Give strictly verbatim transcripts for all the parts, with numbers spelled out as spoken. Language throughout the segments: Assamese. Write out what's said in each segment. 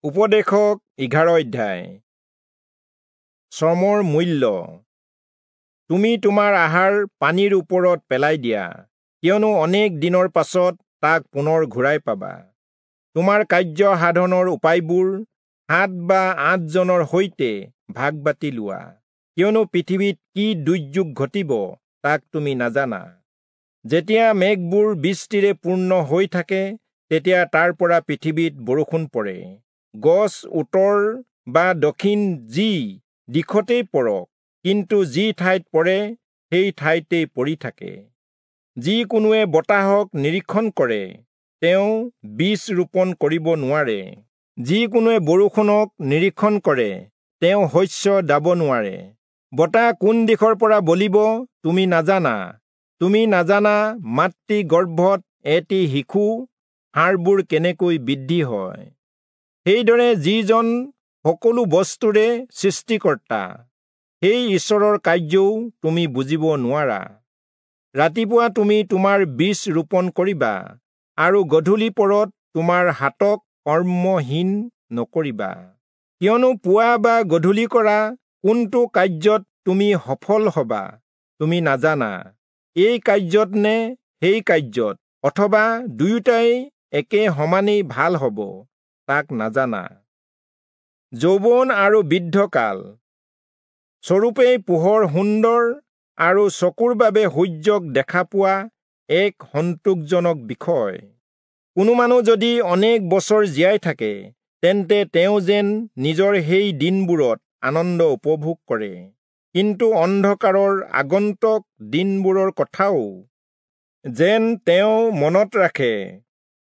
উপদেশক এঘাৰ অধ্যায়। শ্ৰমৰ মূল্য। তুমি তোমাৰ আহাৰ পানীৰ ওপৰত পেলাই দিয়া, কিয়নো অনেক দিনৰ পাছত তাক পুনৰ ঘূৰাই পাবা। তোমাৰ কাৰ্য সাধনৰ উপায়বোৰ সাত বা আঠজনৰ সৈতে ভাগ বাটি লোৱা, কিয়নো পৃথিৱীত কি দুৰ্যোগ ঘটিব তাক তুমি নাজানা। যেতিয়া মেঘবোৰ বৃষ্টিৰে পূৰ্ণ হৈ থাকে, তেতিয়া তাৰ পৰা পৃথিৱীত বৰষুণ পৰে। গছ উত্তৰ বা দক্ষিণ যি দিশতেই পৰক, কিন্তু যি ঠাইত পৰে সেই ঠাইতেই পৰি থাকে। যি কোনোৱে বতাহক নিৰীক্ষণ কৰে, তেওঁ বীজ ৰোপণ কৰিব নোৱাৰে। যি কোনোৱে বৰষুণক নিৰীক্ষণ কৰে, তেওঁ শস্য দাব নোৱাৰে। বতাহ কোন দিশৰ পৰা বলিব তুমি নাজানা। তুমি নাজানা মাতৃ গৰ্ভত এটি শিশু হাড়বোৰ কেনেকৈ বৃদ্ধি হয়। সেইদৰে যিজন সকলো বস্তুৰে সৃষ্টিকৰ্তা, সেই ঈশ্বৰৰ কাৰ্যও তুমি বুজিব নোৱাৰা। ৰাতিপুৱা তুমি তোমাৰ বীজ ৰোপণ কৰিবা, আৰু গধূলি পৰত তোমাৰ হাতক কৰ্মহীন নকৰিবা। কিয়নো পুৱা বা গধূলি কৰা কোনটো কাৰ্যত তুমি সফল হবা তুমি নাজানা, এই কাৰ্যত নে সেই কাৰ্যত, অথবা দুয়োটাই একে সমানেই ভাল হ'ব তাক নাজানা। যৌৱন আৰু বৃদ্ধকাল স্বৰূপেই পোহৰ সুন্দৰ আৰু চকুৰ বাবে সূৰ্যক দেখা পোৱা এক সন্তোষজনক বিষয়। কোনো মানুহ যদি অনেক বছৰ জীয়াই থাকে, তেন্তে তেওঁ যেন নিজৰ সেই দিনবোৰত আনন্দ উপভোগ কৰে। কিন্তু অন্ধকাৰৰ আগন্তুক দিনবোৰৰ কথাও যেন তেওঁ মনত ৰাখে,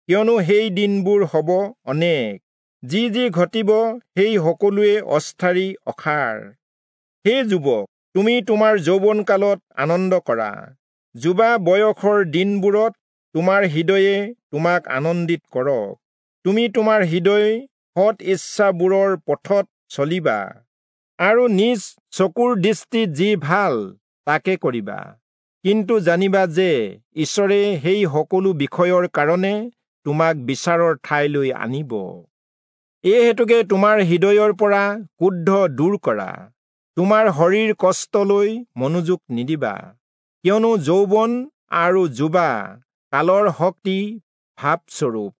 কিয়নো সেই দিনবোৰ হ'ব অনেক। যি যি ঘটিব সেই সকলোৱে অস্থায়ী অসাৰ। হে যুৱক, তুমি তোমাৰ যৌৱনকালত আনন্দ কৰা, যুৱা বয়সৰ দিনবোৰত তোমাৰ হৃদয়ে তোমাক আনন্দিত কৰক। তুমি তোমাৰ হৃদয় সৎ ইচ্ছাবোৰৰ পথত চলিবা, আৰু নিজ চকুৰ দৃষ্টিত যি ভাল তাকে কৰিবা। কিন্তু জানিবা যে ঈশ্বৰে সেই সকলো বিষয়ৰ কাৰণে তোমাক বিচাৰৰ ঠাইলৈ আনিব। এই হেতুকে তোমাৰ হৃদয়ৰ পৰা ক্ৰোধ দূৰ কৰা, তোমাৰ শৰীৰ কষ্টলৈ মনোযোগ নিদিবা, কিয়নো যৌৱন আৰু যুৱা কালৰ শক্তি ভাৱস্বৰূপ।